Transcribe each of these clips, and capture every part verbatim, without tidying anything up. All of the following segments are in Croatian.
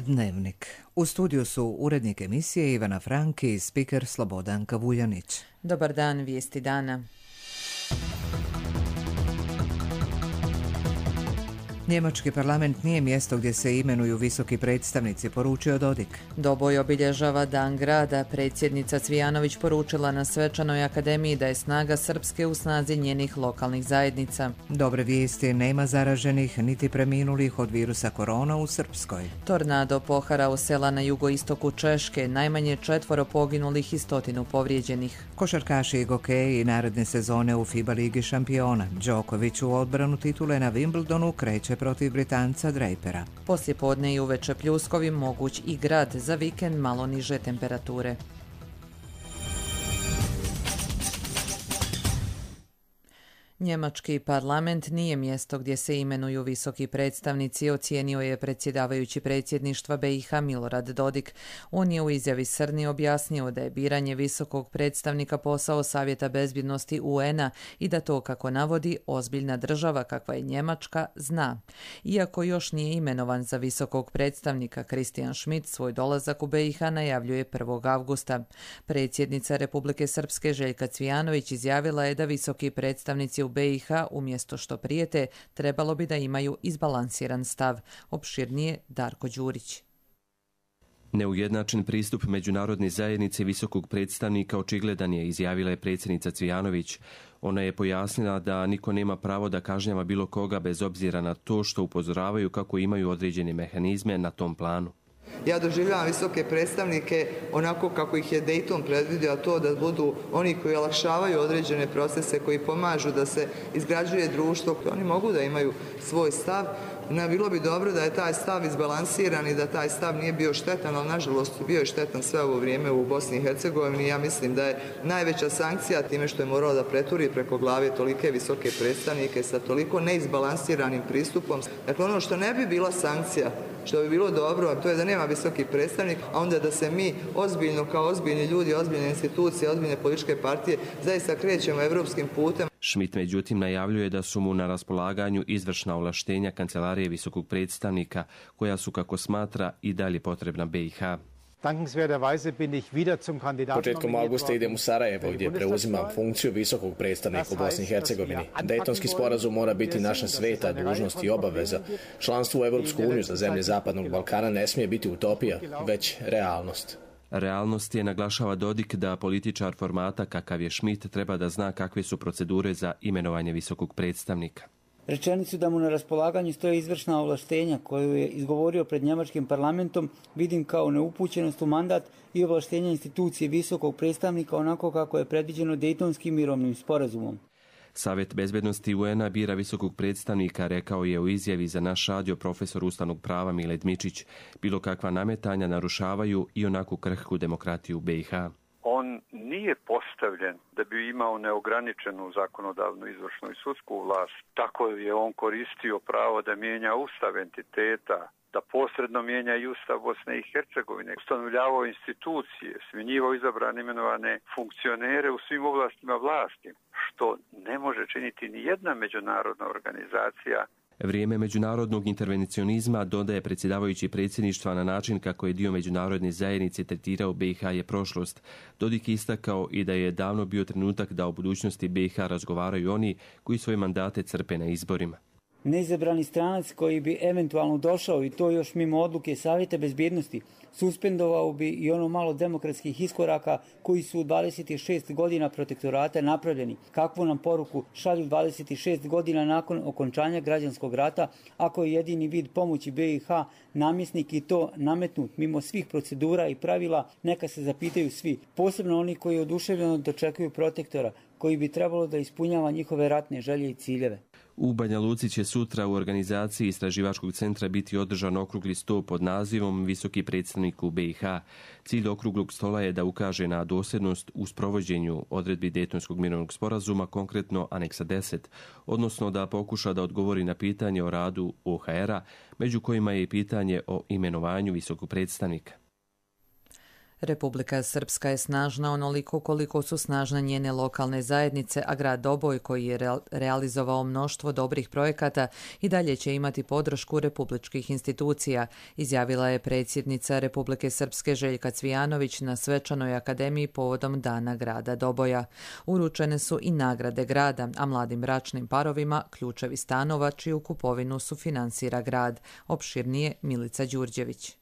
Dnevnik. U studiju su urednik emisije Ivana Franki i spiker Slobodan Kavuljanić. Dobar dan, vijesti dana. Njemački parlament nije mjesto gdje se imenuju visoki predstavnici, poručio Dodik. Doboj obilježava Dan grada. Predsjednica Cvijanović poručila na Svečanoj akademiji da je snaga Srpske u snazi njenih lokalnih zajednica. Dobre vijesti, nema zaraženih niti preminulih od virusa korona u Srpskoj. Tornado poharao sela na jugoistoku Češke, najmanje četvoro poginulih i stotinu povrijeđenih. Košarkaši i gokeji naredne sezone u FIBA ligi šampiona. Đoković u odbranu titule na Wimbledonu kreće protiv Britanca Drapera. Poslijepodne i uveče pljuskovi, moguć i grad, za vikend malo niže temperature. Njemački parlament nije mjesto gdje se imenuju visoki predstavnici, ocijenio je predsjedavajući predsjedništva B i H Milorad Dodik. On je u izjavi Srni objasnio da je biranje visokog predstavnika posao Savjeta bezbjednosti U N-a i da to, kako navodi, ozbiljna država kakva je Njemačka zna. Iako još nije imenovan za visokog predstavnika, Christian Schmidt svoj dolazak u B i H najavljuje prvog avgusta. Predsjednica Republike Srpske Željka Cvijanović izjavila je da visoki predstavnici u B i H umjesto što prijete trebalo bi da imaju izbalansiran stav. Opširnije Darko Đurić. Neujednačen pristup međunarodne zajednice visokog predstavnika očigledan je, izjavila je predsjednica Cvijanović. Ona je pojasnila da niko nema pravo da kažnjava bilo koga bez obzira na to što upozoravaju kako imaju određene mehanizme na tom planu. Ja doživljavam visoke predstavnike onako kako ih je Dayton predvidio, a to da budu oni koji olakšavaju određene procese, koji pomažu da se izgrađuje društvo. Oni mogu da imaju svoj stav. No, bilo bi dobro da je taj stav izbalansiran i da taj stav nije bio štetan, ali nažalost bio je štetan sve ovo vrijeme u Bosni i Hercegovini. Ja mislim da je najveća sankcija time što je morao da preturi preko glave tolike visoke predstavnike sa toliko neizbalansiranim pristupom. Dakle, ono što ne bi bila sankcija, što bi bilo dobro, to je da nema visoki predstavnik, a onda da se mi ozbiljno, kao ozbiljni ljudi, ozbiljne institucije, ozbiljne političke partije, zaista krećemo evropskim putem. Schmidt međutim najavljuje da su mu na raspolaganju izvršna ovlaštenja Kancelarije visokog predstavnika, koja su, kako smatra, i dalje potrebna B i H. Početkom avgusta idem u Sarajevo gdje preuzimam funkciju visokog predstavnika u Bosni i Hercegovini. Dejtonski sporazum mora biti naša sveta dužnost i obaveza. Članstvo u Evropsku uniju za zemlje Zapadnog Balkana ne smije biti utopija, već realnost. Realnost je, naglašava Dodik, da političar formata kakav je Schmidt treba da zna kakve su procedure za imenovanje visokog predstavnika. Rečenicu da mu na raspolaganju stoje izvršna ovlaštenja koju je izgovorio pred njemačkim parlamentom vidim kao neupućenost u mandat i ovlaštenja institucije visokog predstavnika onako kako je predviđeno Dejtonskim mirovnim sporazumom. Savjet bezbednosti U N-a bira visokog predstavnika, rekao je u izjavi za naš radio profesor ustavnog prava Mile Dmičić. Bilo kakva nametanja narušavaju i onako krhku demokratiju B i H. On nije postavljen da bi imao neograničenu zakonodavnu, izvršnu i sudsku vlast. Tako je on koristio pravo da mijenja ustav entiteta, da posredno mijenja i ustav Bosne i Hercegovine, ustanovljavao institucije, smjenjivao izabrane imenovane funkcionere u svim oblastima vlasti, što ne može činiti ni jedna međunarodna organizacija. Vrijeme međunarodnog intervencionizma, dodaje predsjedavajući predsjedništva, na način kako je dio međunarodne zajednice tretirao B i H je prošlost. Dodik je istakao i da je davno bio trenutak da o budućnosti B i H razgovaraju oni koji svoje mandate crpe na izborima. Neizabrani stranac koji bi eventualno došao, i to još mimo odluke Savjeta bezbjednosti, suspendovao bi i ono malo demokratskih iskoraka koji su u dvadeset šest godina protektorata napravljeni. Kakvu nam poruku šalju dvadeset šest godina nakon okončanja građanskog rata, ako je jedini vid pomoći B i H namjesnik i to nametnut mimo svih procedura i pravila, neka se zapitaju svi, posebno oni koji oduševljeno dočekuju protektora, koji bi trebalo da ispunjava njihove ratne želje i ciljeve. U Banja Luci će sutra u organizaciji Istraživačkog centra biti održan okrugli sto pod nazivom Visoki predstavnik u B i H. Cilj okruglog stola je da ukaže na dosljednost u sprovođenju odredbi Dejtonskog mirovnog sporazuma, konkretno aneksa deset, odnosno da pokuša da odgovori na pitanje o radu O H R-a, među kojima je i pitanje o imenovanju visokog predstavnika. Republika Srpska je snažna onoliko koliko su snažne njene lokalne zajednice, a grad Doboj, koji je realizovao mnoštvo dobrih projekata, i dalje će imati podršku republičkih institucija, izjavila je predsjednica Republike Srpske Željka Cvijanović na svečanoj akademiji povodom Dana grada Doboja. Uručene su i nagrade grada, a mladim bračnim parovima ključevi stanova čiju kupovinu sufinansira grad. Opširnije Milica Đurđević.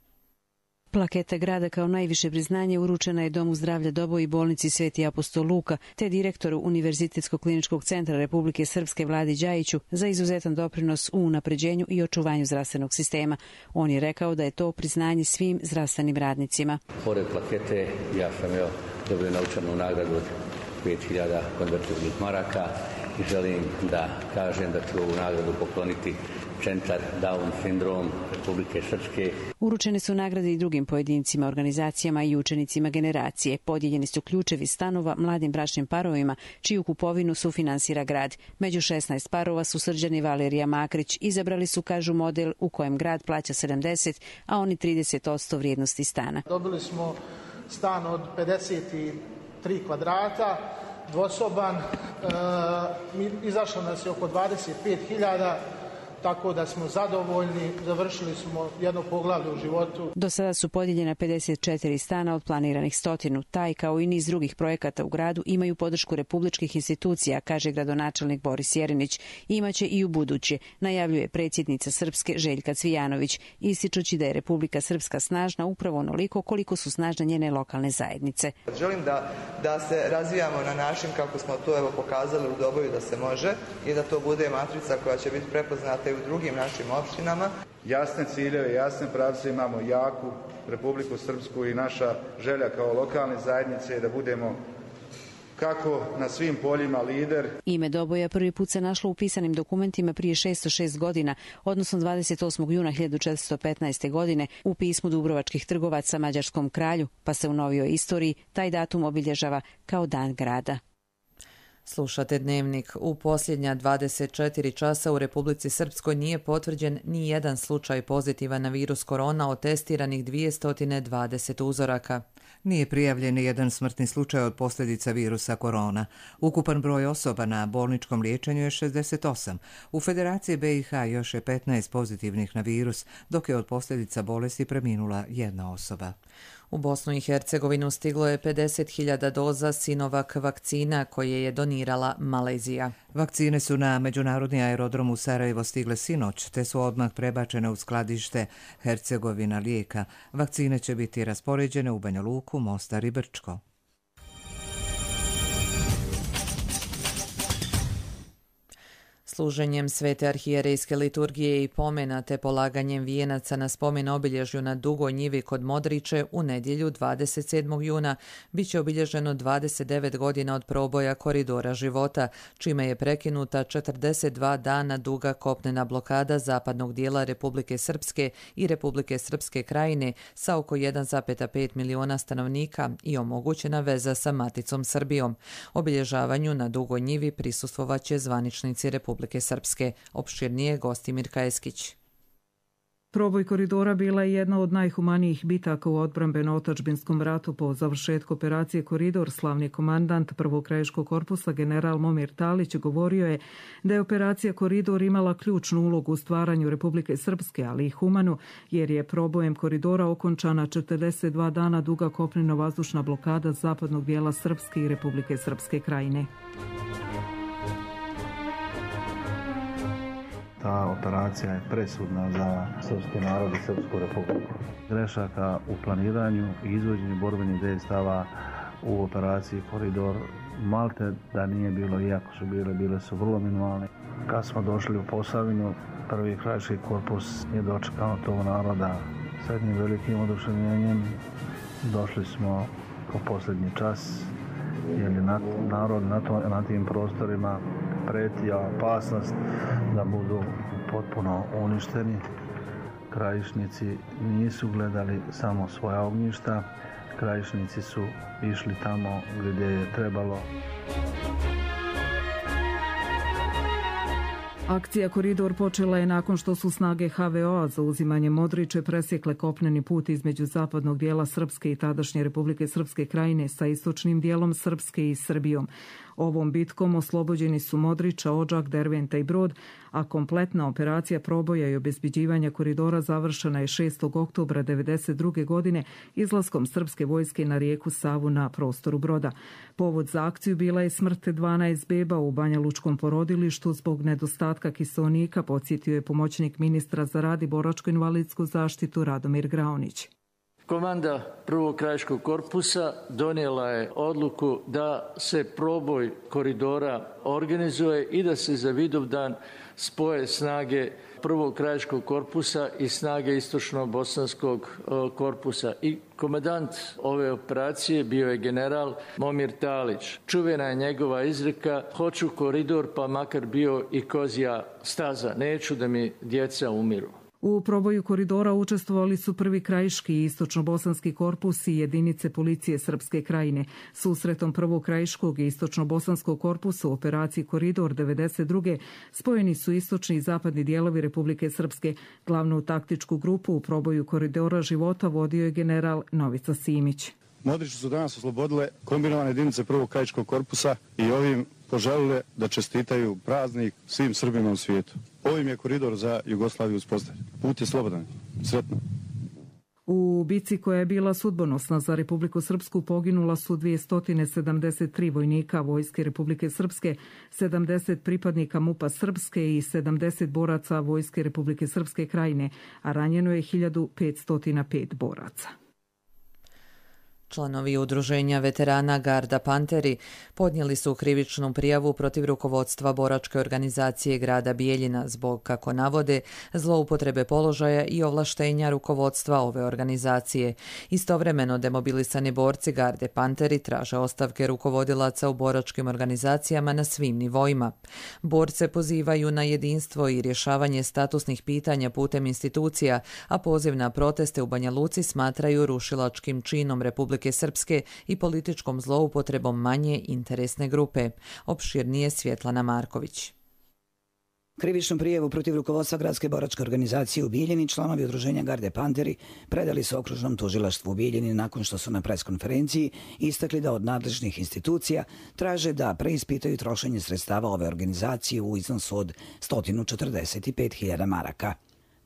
Plaketa grada kao najviše priznanje uručena je Domu zdravlja Doboj i bolnici Sveti apostol Luka, te direktoru Univerzitetskog kliničkog centra Republike Srpske Vladi Đajiću za izuzetan doprinos u unapređenju i očuvanju zdravstvenog sistema. On je rekao da je to priznanje svim zdravstvenim radnicima. Pored plakete ja sam evo dobio naučanu nagradu od pet hiljada konvertibilnih maraka i želim da kažem da ću ovu nagradu pokloniti Centar Down sindrom Republike Srpske. Uručene su nagrade i drugim pojedincima, organizacijama i učenicima generacije. Podijeljeni su ključevi stanova mladim bračnim parovima, čiju kupovinu sufinansira grad. Među šesnaest parova su Srđan i Valerija Makrić. Izabrali su, kažu, model u kojem grad plaća sedamdeset, a oni trideset posto vrijednosti stana. Dobili smo stan od pedeset tri kvadrata, dvosoban, e, izašlo nas je oko dvadeset pet hiljada, tako da smo zadovoljni, završili smo jedno poglavlje u životu. Do sada su podijeljena pedeset četiri stana od planiranih stotinu. Taj, kao i niz drugih projekata u gradu, imaju podršku republičkih institucija, kaže gradonačelnik Boris Jerinić. Imaće i u buduće, najavljuje predsjednica Srpske Željka Cvijanović, ističući da je Republika Srpska snažna upravo onoliko koliko su snažne njene lokalne zajednice. Želim da, da se razvijamo na način kako smo to evo pokazali u Doboju da se može i da to bude matrica koja će biti prepoznata i u drugim našim opštinama. Jasne ciljeve, jasne pravce, imamo jaku Republiku Srpsku i naša želja kao lokalne zajednice je da budemo kako na svim poljima lider. Ime Doboja prvi put se našlo u pisanim dokumentima prije šesto šest godina, odnosno dvadeset osmog juna hiljadu četiristo petnaeste. godine u pismu Dubrovačkih trgovaca mađarskom kralju, pa se u novijoj istoriji taj datum obilježava kao Dan grada. Slušate Dnevnik. U posljednja dvadeset četiri časa u Republici Srpskoj nije potvrđen ni jedan slučaj pozitivan na virus korona od testiranih dvjesto dvadeset uzoraka. Nije prijavljen ni jedan smrtni slučaj od posljedica virusa korona. Ukupan broj osoba na bolničkom liječenju je šezdeset osam. U Federaciji B i H još je petnaest pozitivnih na virus, dok je od posljedica bolesti preminula jedna osoba. U Bosnu i Hercegovinu stiglo je pedeset hiljada doza Sinovac vakcina koje je donirala Malezija. Vakcine su na međunarodni aerodrom u Sarajevo stigle sinoć, te su odmah prebačene u skladište Hercegovina lijeka. Vakcine će biti raspoređene u Banja Luku, Mostar i Brčko. Služenjem svete arhijerejske liturgije i pomena te polaganjem vijenaca na spomen obilježju na Dugoj njivi kod Modriće u nedjelju dvadeset sedmog juna bit će obilježeno dvadeset devet godina od proboja koridora života, čime je prekinuta četrdeset dva dana duga kopnena blokada zapadnog dijela Republike Srpske i Republike Srpske krajine sa oko jedan zarez pet miliona stanovnika i omogućena veza sa maticom Srbijom. Obilježavanju na Dugoj njivi prisustvovaće zvaničnici Republike Srpske. Opširnije Gostimir Kajeskić. Proboj koridora bila je jedna od najhumanijih bitaka u odbrambeno-otadžbinskom ratu. Po završetku operacije Koridor, slavni komandant prvog krajiškog korpusa general Momir Talić govorio je da je operacija Koridor imala ključnu ulogu u stvaranju Republike Srpske, ali i humanu, jer je probojem koridora okončana četrdeset dva dana duga kopneno-vazdušna blokada zapadnog dijela Srpske i Republike Srpske krajine. Ta operacija je presudna za srpski narod i Srpsku republiku. Grešaka u planiranju i izvođenju borbenih dejstava u operaciji Koridor malte da nije bilo, iako su bile, bile su vrlo minimalne. Kad smo došli u Posavinu, prvi krajiški korpus je dočekao tog naroda s jednim velikim oduševljenjem. Došli smo po posljednji čas, jer je narod na, to, na tim prostorima pretija opasnost da budu potpuno uništeni. Krajišnici nisu gledali samo svoja ognjišta, krajišnici su išli tamo gdje je trebalo. Akcija Koridor počela je nakon što su snage ha ve o-a za uzimanje Modriče presjekle kopneni put između zapadnog dijela Srpske i tadašnje Republike Srpske krajine sa istočnim dijelom Srpske i Srbijom. Ovom bitkom oslobođeni su Modriča, Odžak, Derventa i Brod, a kompletna operacija proboja i obezbeđivanja koridora završena je šestog oktobra devedeset druge godine izlaskom srpske vojske na rijeku Savu na prostoru Broda. Povod za akciju bila je smrt dvanaest beba u Banja Lučkom porodilištu zbog nedostatka kiseonika, podsjetio je pomoćnik ministra za rad i boračko-invalidsku zaštitu Radomir Graonić. Komanda prvog krajiškog korpusa donijela je odluku da se proboj koridora organizuje i da se za Vidovdan spoje snage prvog krajiškog korpusa i snage istočno-bosanskog korpusa. I komandant ove operacije bio je general Momir Talić. Čuvena je njegova izreka: hoću koridor pa makar bio i kozja staza, neću da mi djeca umiru. U proboju koridora učestvovali su prvi krajiški i istočno-bosanski korpus i jedinice policije Srpske krajine. Susretom prvog krajiškog i istočno-bosanskog korpusa u operaciji Koridor devedeset druge spojeni su istočni i zapadni dijelovi Republike Srpske. Glavnu taktičku grupu u proboju koridora života vodio je general Novica Simić. Modriče su danas oslobodile kombinovane jedinice prvog krajiškog korpusa i ovim poželile da čestitaju praznik svim Srbima u svijetu. Ovim je koridor za Jugoslaviju uspostavljen. Put je slobodan. Sretno. U bici koja je bila sudbonosna za Republiku Srpsku poginula su dvjesto sedamdeset tri vojnika Vojske Republike Srpske, sedamdeset pripadnika MUP-a Srpske i sedamdeset boraca Vojske Republike Srpske krajine, a ranjeno je hiljadu petsto pet boraca. Članovi udruženja veterana Garda Panteri podnijeli su krivičnu prijavu protiv rukovodstva boračke organizacije grada Bijeljina zbog, kako navode, zloupotrebe položaja i ovlaštenja rukovodstva ove organizacije. Istovremeno demobilisani borci Garde Panteri traže ostavke rukovodilaca u boračkim organizacijama na svim nivoima. Borce pozivaju na jedinstvo i rješavanje statusnih pitanja putem institucija, a poziv na proteste u Banja Luci smatraju rušilačkim činom Republike Srpske i političkom zloupotrebom manje interesne grupe. Opširnije Svjetlana Marković. Krivičnu prijavu protiv rukovodstva gradske boračke organizacije u Bijeljini članovi udruženja Garde Panteri predali su okružnom tužilaštvu u Bijeljini nakon što su na preskonferenciji istakli da od nadležnih institucija traže da preispitaju trošenje sredstava ove organizacije u iznosu od sto četrdeset pet hiljada maraka.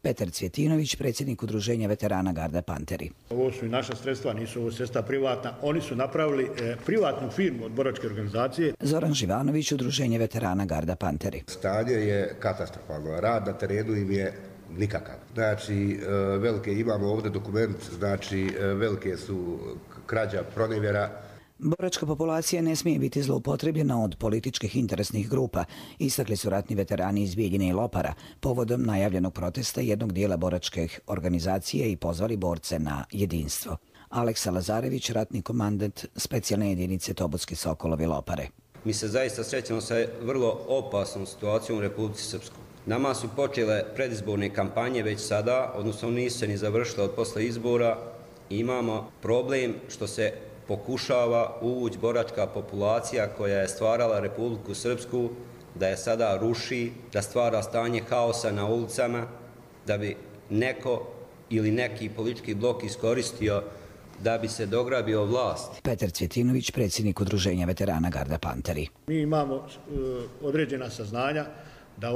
Petar Cvjetinović, predsjednik udruženja veterana Garda Panteri. Ovo su i naša sredstva, nisu ovo sredstva privatna. Oni su napravili e, privatnu firmu od boračke organizacije. Zoran Živanović, udruženje veterana Garda Panteri. Stanje je katastrofalno. Rad na terenu im je nikakav. Znači, e, velike imamo ovdje dokument, znači e, velike su krađa, pronevjera. Boračka populacija ne smije biti zloupotrebljena od političkih interesnih grupa, istakli su ratni veterani iz Bijeljine i Lopara povodom najavljenog protesta jednog dijela boračke organizacije i pozvali borce na jedinstvo. Aleksa Lazarević, ratni komandant specijalne jedinice Tobotski Sokolovi Lopare. Mi se zaista srećemo sa vrlo opasnom situacijom u Republici Srpskoj. Nama su počele predizborne kampanje već sada, odnosno nisu se ni završile od posle izbora. Imamo problem što se pokušava uvući boračka populacija koja je stvarala Republiku Srpsku, da je sada ruši, da stvara stanje haosa na ulicama, da bi neko ili neki politički blok iskoristio da bi se dograbio vlast. Petar Cvjetinović, predsjednik udruženja veterana Garda Panteri. Mi imamo uh, određena saznanja, da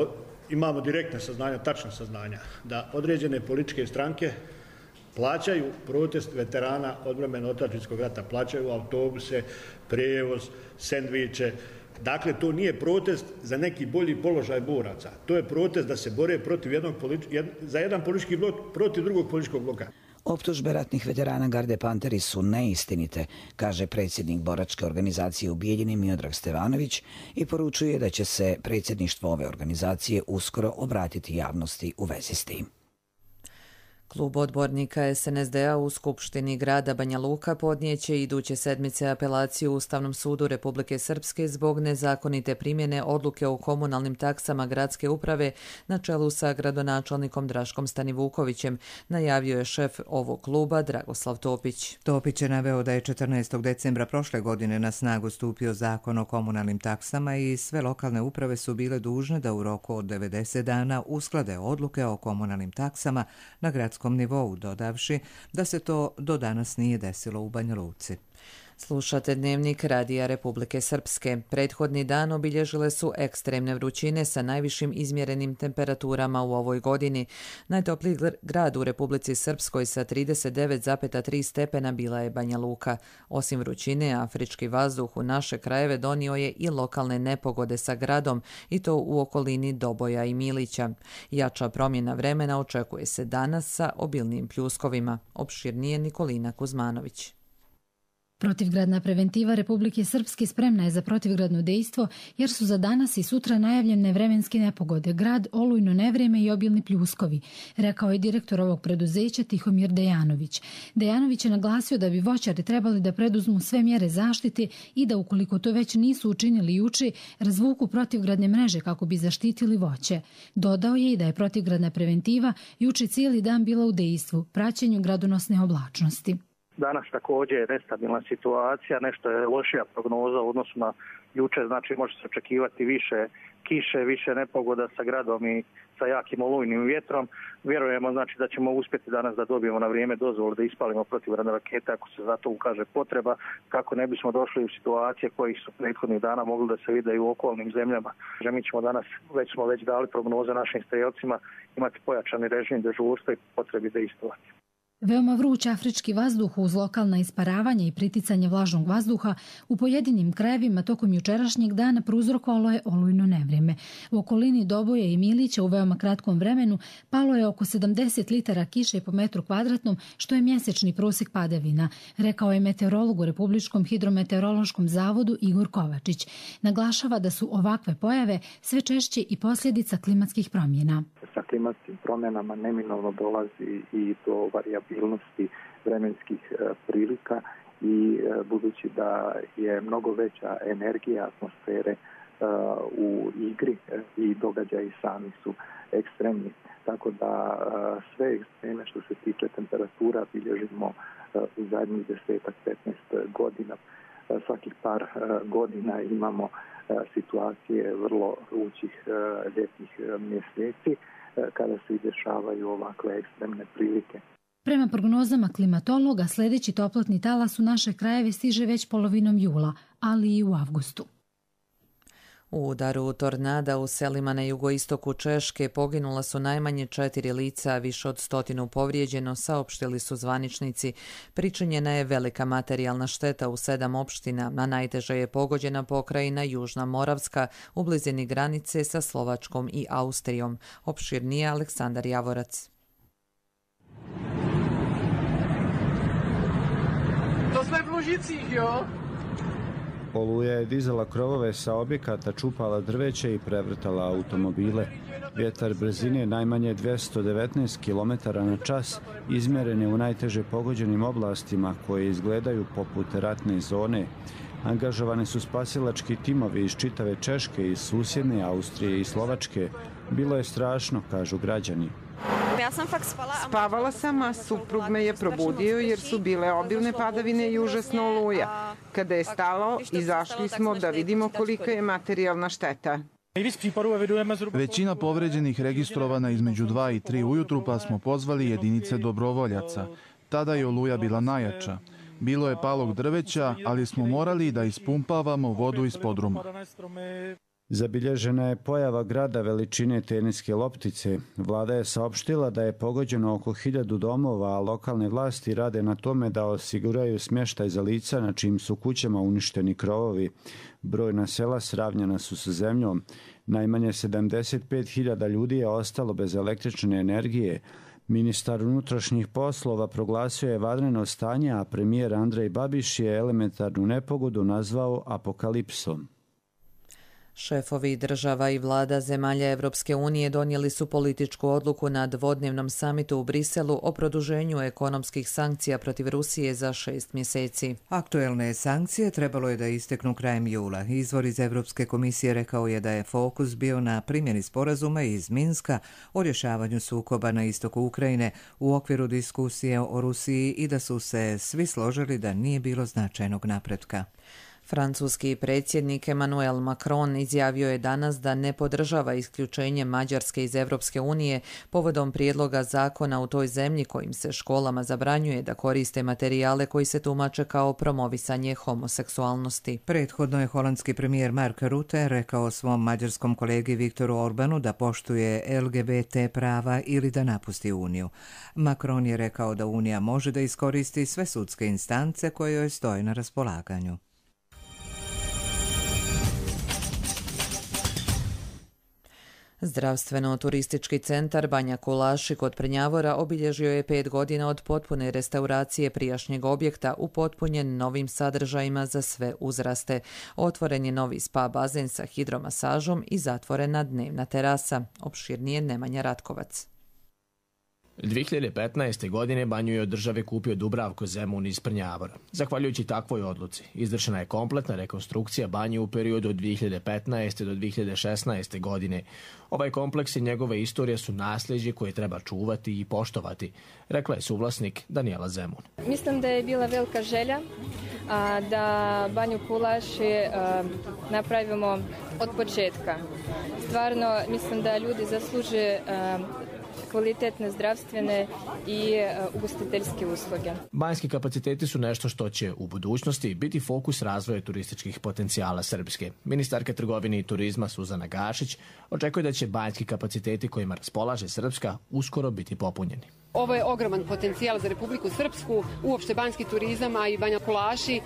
imamo direktne saznanja, tačna saznanja, da određene političke stranke plaćaju protest veterana odbrane otadžbinskog rata, plaćaju autobuse, prijevoz, sendviče. Dakle, to nije protest za neki bolji položaj boraca. To je protest da se bore protiv jednog jed, za jedan politički blok protiv drugog političkog bloka. Optužbe ratnih veterana Garde Panteri su neistinite, kaže predsjednik boračke organizacije u Bijeljini Miodrag Stevanović i poručuje da će se predsjedništvo ove organizacije uskoro obratiti javnosti u vezi s tim. Klub odbornika es en es de a u Skupštini grada Banja Luka podnijeće iduće sedmice apelaciju Ustavnom sudu Republike Srpske zbog nezakonite primjene odluke o komunalnim taksama gradske uprave na čelu sa gradonačelnikom Draškom Stanivukovićem, najavio je šef ovog kluba Dragoslav Topić. Topić je naveo da je četrnaestog decembra prošle godine na snagu stupio zakon o komunalnim taksama i sve lokalne uprave su bile dužne da u roku od devedeset dana usklade odluke o komunalnim taksama na gradskom nivou, dodavši da se to do danas nije desilo u Banja Luci. Slušate Dnevnik Radija Republike Srpske. Prethodni dan obilježile su ekstremne vrućine sa najvišim izmjerenim temperaturama u ovoj godini. Najtopliji grad u Republici Srpskoj sa trideset devet zarez tri stepena bila je Banja Luka. Osim vrućine, afrički vazduh u naše krajeve donio je i lokalne nepogode sa gradom, i to u okolini Doboja i Milića. Jača promjena vremena očekuje se danas sa obilnim pljuskovima. Opširnije Nikolina Kuzmanović. Protivgradna preventiva Republike Srpske spremna je za protivgradno dejstvo jer su za danas i sutra najavljene vremenske nepogode, grad, olujno nevreme i obilni pljuskovi, rekao je direktor ovog preduzeća Tihomir Dejanović. Dejanović je naglasio da bi voćari trebali da preduzmu sve mjere zaštite i da ukoliko to već nisu učinili juče, razvuku protivgradne mreže kako bi zaštitili voće. Dodao je i da je protivgradna preventiva juče cijeli dan bila u dejstvu, praćenju gradonosne oblačnosti. Danas također je nestabilna situacija, nešto je lošija prognoza u odnosu na juče, znači može se očekivati više kiše, više nepogoda sa gradom i sa jakim olujnim vjetrom. Vjerujemo znači da ćemo uspjeti danas da dobijemo na vrijeme dozvolu da ispalimo protivgradne rakete ako se za to ukaže potreba, kako ne bismo došli u situacije kojih su prethodnih dana mogli da se vide i u okolnim zemljama. Mi ćemo danas, već smo već dali prognoze našim strelcima, imati pojačani režim dežurstva i potrebi dejstvovati. Veoma vruć afrički vazduh uz lokalna isparavanja i priticanje vlažnog vazduha u pojedinim krajevima tokom jučerašnjeg dana prouzrokovalo je olujno nevrijeme. U okolini Doboje i Milića u veoma kratkom vremenu palo je oko sedamdeset litara kiše po metru kvadratnom, što je mjesečni prosjek padavina, rekao je meteorolog u Republičkom hidrometeorološkom zavodu Igor Kovačić. Naglašava da su ovakve pojave sve češće i posljedica klimatskih promjena. Sa klimatskim promjenama neminovno dolazi i do varijabilnosti vremenskih prilika i budući da je mnogo veća energija atmosfere u igri i događaji sami su ekstremni. Tako da sve ekstreme što se tiče temperatura bilježimo u zadnjih desetak, petnaest godina. Svakih par godina imamo situacije vrlo vrućih ljetnih mjeseci kada se dešavaju ovakve ekstremne prilike. Prema prognozama klimatologa, sljedeći toplotni talas u naše krajeve stiže već polovinom jula, ali i u avgustu. U udaru tornada u selima na jugoistoku Češke poginula su najmanje četiri lica, a više od stotinu povrijeđeno, saopštili su zvaničnici. Pričinjena je velika materijalna šteta u sedam opština, a najteže je pogođena pokrajina Južna Moravska u blizini granice sa Slovačkom i Austrijom. Opširnije Aleksandar Javorac. To sme v Lužicích, jo? Oluja je dizala krovove sa objekata, čupala drveće i prevrtala automobile. Vjetar brzine najmanje dvjesto devetnaest kilometara na čas izmjeren je u najteže pogođenim oblastima koje izgledaju poput ratne zone. Angažovani su spasilački timovi iz čitave Češke, iz susjedne Austrije i Slovačke. Bilo je strašno, kažu građani. Ja sam fakt spala. Spavala sam, a suprug me je probudio jer su bile obilne padavine i užasno oluja. Kada je stalo, izašli smo da vidimo kolika je materijalna šteta. Većina povređenih registrovana između dva i tri ujutru, pa smo pozvali jedinice dobrovoljaca. Tada je oluja bila najjača. Bilo je palog drveća, ali smo morali da ispumpavamo vodu iz podruma. Zabilježena je pojava grada veličine teniske loptice. Vlada je saopštila da je pogođeno oko hiljadu domova, a lokalne vlasti rade na tome da osiguraju smještaj za lica na čijim su kućama uništeni krovovi. Brojna sela sravnjena su sa zemljom. Najmanje sedamdeset pet hiljada ljudi je ostalo bez električne energije. Ministar unutrašnjih poslova proglasio je vanredno stanje, a premijer Andrej Babiš je elementarnu nepogodu nazvao apokalipsom. Šefovi država i vlada zemalja Evropske unije donijeli su političku odluku na dvodnevnom samitu u Briselu o produženju ekonomskih sankcija protiv Rusije za šest mjeseci. Aktuelne sankcije trebalo je da isteknu krajem jula. Izvor iz Evropske komisije rekao je da je fokus bio na primjeni sporazuma iz Minska o rješavanju sukoba na istoku Ukrajine u okviru diskusije o Rusiji i da su se svi složili da nije bilo značajnog napretka. Francuski predsjednik Emmanuel Macron izjavio je danas da ne podržava isključenje Mađarske iz Evropske unije povodom prijedloga zakona u toj zemlji kojim se školama zabranjuje da koriste materijale koji se tumače kao promovisanje homoseksualnosti. Prethodno je holandski premijer Mark Rutte rekao svom mađarskom kolegi Viktoru Orbanu da poštuje L G B T prava ili da napusti Uniju. Macron je rekao da Unija može da iskoristi sve sudske instance koje joj stoje na raspolaganju. Zdravstveno-turistički centar Banja Kulaši kod Prnjavora obilježio je pet godina od potpune restauracije prijašnjeg objekta upotpunjen novim sadržajima za sve uzraste. Otvoren je novi spa bazen sa hidromasažom i zatvorena dnevna terasa. Opširnije Nemanja Ratkovac. dvije hiljade petnaeste. godine banju je od države kupio Dubravko Zemun iz Prnjavora. Zahvaljujući takvoj odluci, izvršena je kompletna rekonstrukcija banje u periodu od dvije hiljade petnaeste. do dvije hiljade šesnaeste. godine. Ovaj kompleks i njegove istorije su nasljeđe koje treba čuvati i poštovati, rekla je suvlasnik Danijela Zemun. Mislim da je bila velika želja a, da banju Kulaši a, napravimo od početka. Stvarno mislim da ljudi zasluže a, kvalitetne zdravstvene i ugostiteljske usluge. Banjski kapaciteti su nešto što će u budućnosti biti fokus razvoja turističkih potencijala Srpske. Ministarka trgovine i turizma Suzana Gašić očekuje da će banjski kapaciteti kojima raspolaže Srpska uskoro biti popunjeni. Ovo je ogroman potencijal za Republiku Srpsku, uopšte banjski turizam, a i Banja Kulaši e,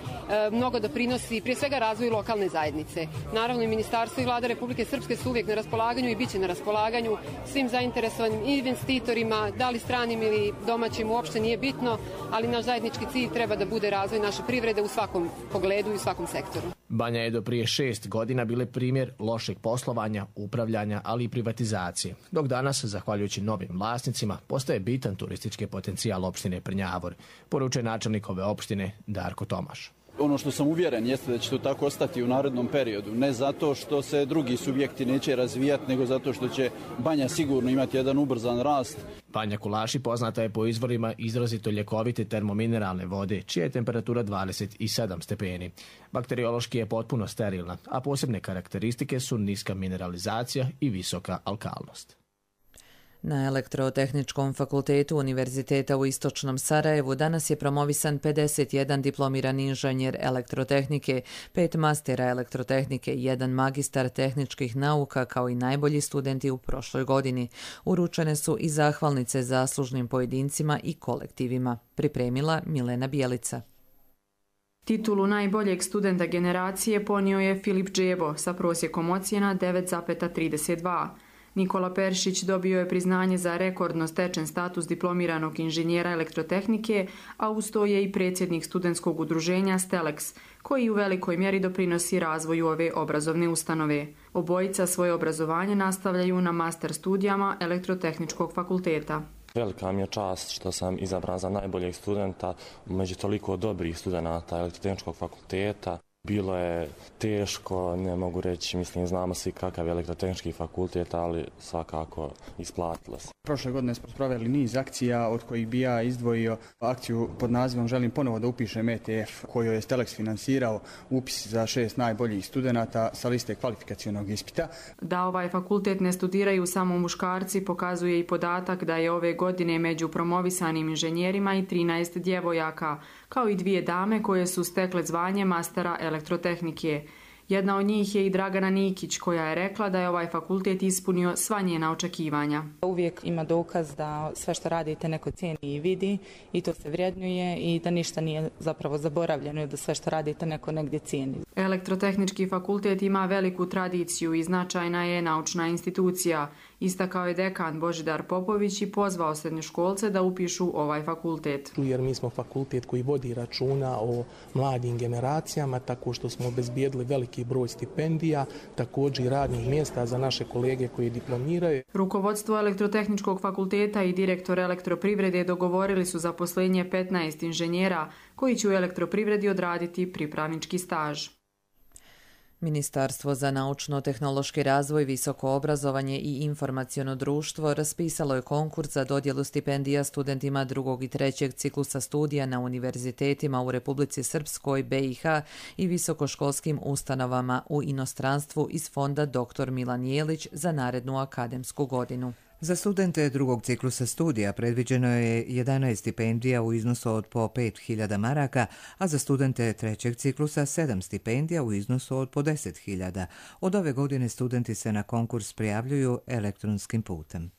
mnogo doprinosi prije svega razvoju lokalne zajednice. Naravno i Ministarstvo i Vlada Republike Srpske su uvijek na raspolaganju i bit će na raspolaganju svim zainteresovanim investitorima, da li stranim ili domaćim, uopšte nije bitno, ali naš zajednički cilj treba da bude razvoj naše privrede u svakom pogledu i u svakom sektoru. Banja je do prije šest godina bile primjer lošeg poslovanja, upravljanja, ali i privatizacije, dok danas, zahvaljujući novim vlasnicima, postaje bitan turistički potencijal opštine Prnjavor, poručuje načelnik ove opštine Darko Tomaš. Ono što sam uvjeren jeste da će to tako ostati u narednom periodu. Ne zato što se drugi subjekti neće razvijati, nego zato što će Banja sigurno imati jedan ubrzan rast. Banja Kulaši poznata je po izvorima izrazito ljekovite termomineralne vode, čija je temperatura dvadeset sedam stepeni. Bakteriološki je potpuno sterilna, a posebne karakteristike su niska mineralizacija i visoka alkalnost. Na Elektrotehničkom fakultetu Univerziteta u Istočnom Sarajevu danas je promovisan pedeset jedan diplomirani inženjer elektrotehnike, pet mastera elektrotehnike i jedan magistar tehničkih nauka kao i najbolji studenti u prošloj godini. Uručene su i zahvalnice zaslužnim pojedincima i kolektivima. Pripremila Milena Bijelica. Titulu najboljeg studenta generacije ponio je Filip Džebo sa prosjekom ocjena devet zarez trideset dva. Nikola Peršić dobio je priznanje za rekordno stečen status diplomiranog inženjera elektrotehnike, a uz to je i predsjednik studentskog udruženja Stelex, koji u velikoj mjeri doprinosi razvoju ove obrazovne ustanove. Obojica svoje obrazovanje nastavljaju na master studijama Elektrotehničkog fakulteta. Velika mi je čast što sam izabran za najboljeg studenta među toliko dobrih studenata Elektrotehničkog fakulteta. Bilo je teško, ne mogu reći, mislim, znamo svi kakav je elektrotehnički fakultet, ali svakako isplatilo se. Prošle godine smo proveli niz akcija, od kojih bi ja izdvojio akciju pod nazivom Želim ponovo da upišem E T F, koju je Stelex finansirao, upis za šest najboljih studenata sa liste kvalifikacionog ispita. Da ovaj fakultet ne studiraju samo muškarci pokazuje i podatak da je ove godine među promovisanim inženjerima i trinaest djevojaka, kao i dvije dame koje su stekle zvanje mastera elektrotehnike. Jedna od njih je i Dragana Nikić, koja je rekla da je ovaj fakultet ispunio sva njena očekivanja. Uvijek ima dokaz da sve što radite neko cijeni i vidi i to se vrjednjuje i da ništa nije zapravo zaboravljeno i da sve što radite neko negdje cijeni. Elektrotehnički fakultet ima veliku tradiciju i značajna je naučna institucija. Istakao je dekan Božidar Popović i pozvao srednjoškolce da upišu ovaj fakultet. Jer mi smo fakultet koji vodi računa o mladim generacijama, tako što smo obezbijedili veliki broj stipendija, također i radnih mjesta za naše kolege koji diplomiraju. Rukovodstvo Elektrotehničkog fakulteta i direktor Elektroprivrede dogovorili su zaposlenje petnaest inženjera koji će u elektroprivredi odraditi pripravnički staž. Ministarstvo za naučno-tehnološki razvoj, visoko obrazovanje i informaciono društvo raspisalo je konkurs za dodjelu stipendija studentima drugog i trećeg ciklusa studija na univerzitetima u Republici Srpskoj, B i H i visokoškolskim ustanovama u inostranstvu iz fonda doktor Milan Jelić za narednu akademsku godinu. Za studente drugog ciklusa studija predviđeno je jedanaest stipendija u iznosu od po pet hiljada maraka, a za studente trećeg ciklusa sedam stipendija u iznosu od po deset hiljada. Od ove godine studenti se na konkurs prijavljuju elektronskim putem.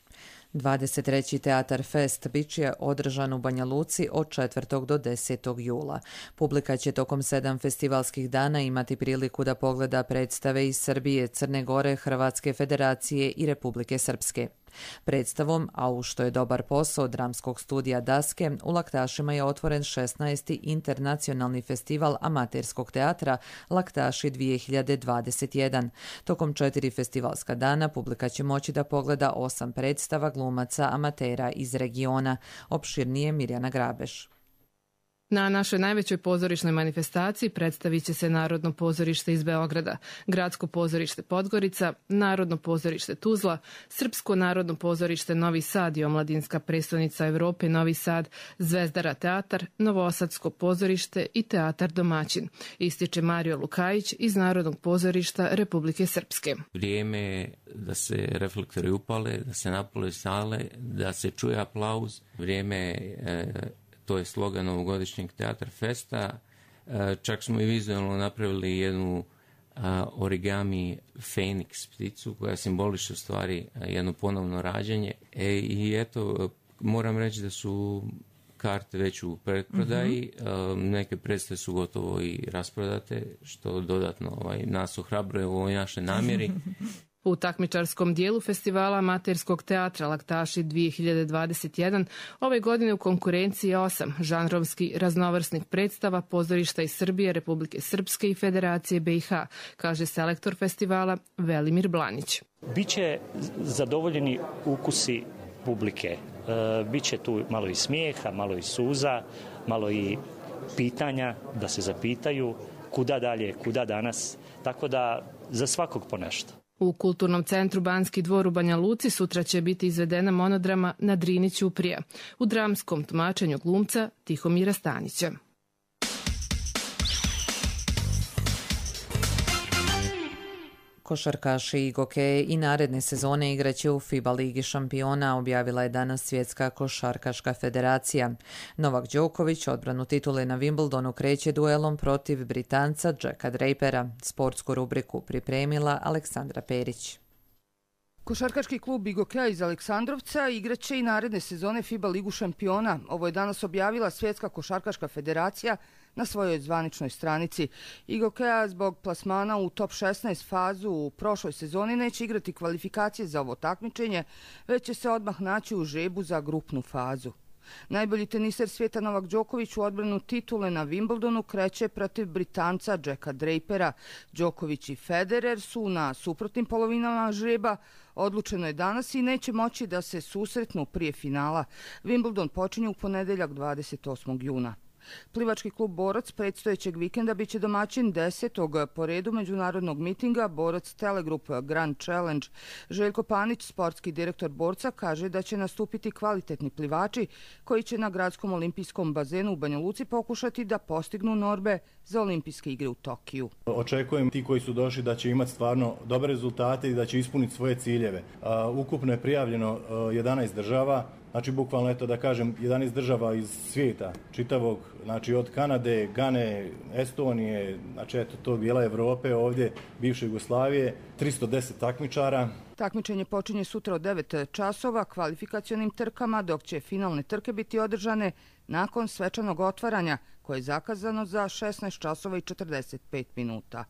dvadeset treći Teatar Fest bit će održan u Banja Luci od četvrtog do desetog jula. Publika će tokom sedam festivalskih dana imati priliku da pogleda predstave iz Srbije, Crne Gore, Hrvatske Federacije i Republike Srpske. Predstavom, a u što je dobar posao dramskog studija Daske, u Laktašima je otvoren šesnaesti internacionalni festival amaterskog teatra Laktaši dvije hiljade dvadeset jedan. Tokom četiri festivalska dana publika će moći da pogleda osam predstava glumaca amatera iz regiona. Opširnije Mirjana Grabeš. Na našoj najvećoj pozorišnoj manifestaciji predstavit će se Narodno pozorište iz Beograda, Gradsko pozorište Podgorica, Narodno pozorište Tuzla, Srpsko narodno pozorište Novi Sad i Omladinska prestonica Evrope Novi Sad, Zvezdara teatar, Novosadsko pozorište i Teatar Domaćin, ističe Mario Lukajić iz Narodnog pozorišta Republike Srpske. Vrijeme je da se reflektori upale, da se napole sale, da se čuje aplauz. Vrijeme je... To je slogan ovogodišnjeg Teatar Festa. Čak smo i vizualno napravili jednu origami Feniks pticu koja simboliše u stvari jedno ponovno rađanje. E, I eto, moram reći da su karte već u predprodaji. Mm-hmm. Neke predstave su gotovo i rasprodate, što dodatno ovaj, nas ohrabruje u ovoj našoj namjeri. U takmičarskom dijelu festivala amaterskog teatra Laktaši dvije hiljade dvadeset jedan ove godine u konkurenciji je osam žanrovski raznovrsnih predstava pozorišta iz Srbije, Republike Srpske i Federacije B i H, kaže selektor festivala Velimir Blanić. Biće zadovoljeni ukusi publike. E, biće tu malo i smijeha, malo i suza, malo i pitanja da se zapitaju kuda dalje, kuda danas, tako da za svakog po nešto. U Kulturnom centru Banski dvor u Banja Luci sutra će biti izvedena monodrama Na Drini Ćuprija u dramskom tumačenju glumca Tihomira Stanića. Košarkaši i gokeje i naredne sezone igraće u FIBA Ligi šampiona, objavila je danas Svjetska košarkaška federacija. Novak Đoković odbranu titule na Wimbledonu kreće duelom protiv Britanca Jacka Drapera. Sportsku rubriku pripremila Aleksandra Perić. Košarkaški klub Igokeja iz Aleksandrovca igraće i naredne sezone FIBA Ligu šampiona. Ovo je danas objavila Svjetska košarkaška federacija na svojoj zvaničnoj stranici. Igokeja zbog plasmana u top šesnaest fazu u prošloj sezoni neće igrati kvalifikacije za ovo takmičenje, već će se odmah naći u žrebu za grupnu fazu. Najbolji teniser svijeta Novak Đoković u odbranu titule na Wimbledonu kreće protiv Britanca Jacka Drapera. Đoković i Federer su na suprotnim polovinama žreba. Odlučeno je danas i neće moći da se susretnu prije finala. Wimbledon počinje u ponedeljak dvadeset osmog juna. Plivački klub Borac predstojećeg vikenda biće domaćin desetog po redu međunarodnog mitinga Borac Telegroup Grand Challenge. Željko Panić, sportski direktor Borca, kaže da će nastupiti kvalitetni plivači koji će na gradskom olimpijskom bazenu u Banja Luci pokušati da postignu norme za olimpijske igre u Tokiju. Očekujem ti koji su došli da će imati stvarno dobre rezultate i da će ispuniti svoje ciljeve. Ukupno je prijavljeno jedanaest država. Znači, bukvalno, eto da kažem, jedanaest država iz svijeta, čitavog, znači od Kanade, Gane, Estonije, znači eto tog dijela Evrope, ovdje bivše Jugoslavije, tristo deset takmičara. Takmičenje počinje sutra od devet časova kvalifikacionim trkama, dok će finalne trke biti održane nakon svečanog otvaranja, koje je zakazano za šesnaest časova i četrdeset pet minuta.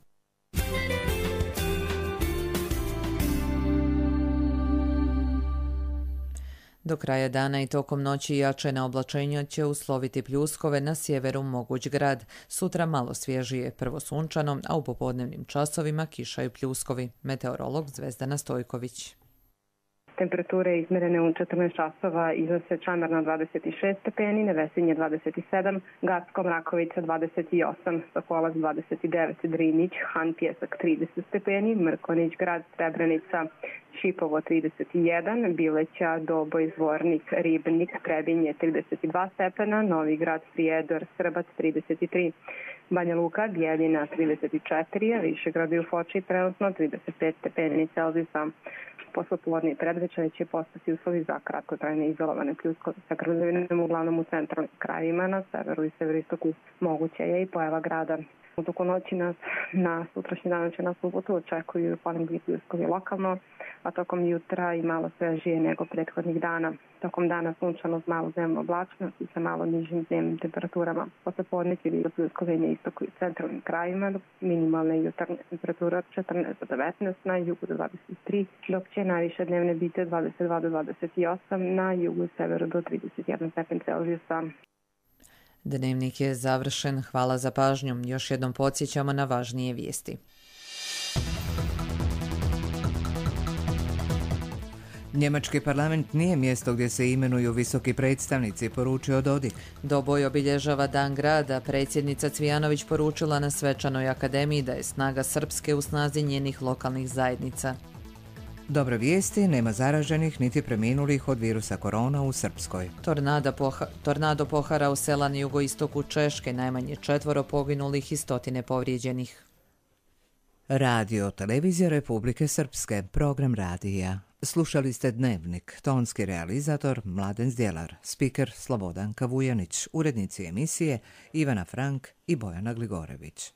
Do kraja dana i tokom noći jačena oblačenja će usloviti pljuskove, na sjeveru moguć grad. Sutra malo svježije, prvo sunčano, a u popodnevnim časovima kiša i pljuskovi. Meteorolog Zvezdana Stojković. Temperature izmerene u četrnaest časova iznose Čamarna dvadeset šest stepeni, Nevesinje dvadeset sedam, Gacko, Mrakovica dvadeset osam, Sokolac dvadeset devet, Drinić, Han, Pjesak trideset stepeni, Mrkonić, Grad, Srebrenica, Šipovo trideset jedan, Bileća, Doboj, Zvornik, Ribnik, Trebinje trideset dva stepena, Novi Grad, Prijedor, Srbac trideset tri, Banja Luka, Bijeljina trideset četiri, Višegrad i u Foči trenutno trideset pet stepeni Celzijusa. Poslepodne i predvečer će postati uslovi za kratkotrajne izolovane pljuskove sa grozovinem uglavnom u centralnim krajevima, na severu i severistoku moguće je i pojava grada. U toku noći nas na sutrašnji dan će nas subotu očekuju ponegdje pljuskovi lokalno, a tokom jutra i malo svežije nego prethodnih dana. Tokom dana sunčano s malo dnevno oblačnost i sa malo nižim dnevnim temperaturama. Poslepodne će biti pljuskove na istoku i centralnim krajevima, dok minimalne jutarnje temperature od četrnaest do devetnaest, na jugu do dvadeset tri, dok će najviše dnevne biti od dvadeset dva do dvadeset osam, na jugu i severu do trideset jedan stepen Celzijusa. Dnevnik je završen. Hvala za pažnju. Još jednom podsjećamo na važnije vijesti. Njemački parlament nije mjesto gdje se imenuju visoki predstavnici, poručio Dodik. Doboj obilježava Dan grada. Predsjednica Cvijanović poručila na svečanoj akademiji da je snaga Srpske u snazi njenih lokalnih zajednica. Dobre vijesti, nema zaraženih niti preminulih od virusa korona u Srpskoj. Tornado, poha, tornado pohara u sela na jugoistoku Češke, najmanje četvoro poginulih i stotine povrijeđenih. Radio Televizija Republike Srpske, program radija. Slušali ste Dnevnik, tonski realizator Mladen Zdjelar, spiker Slobodan Kavujanić, urednici emisije Ivana Frank i Bojana Gligorević.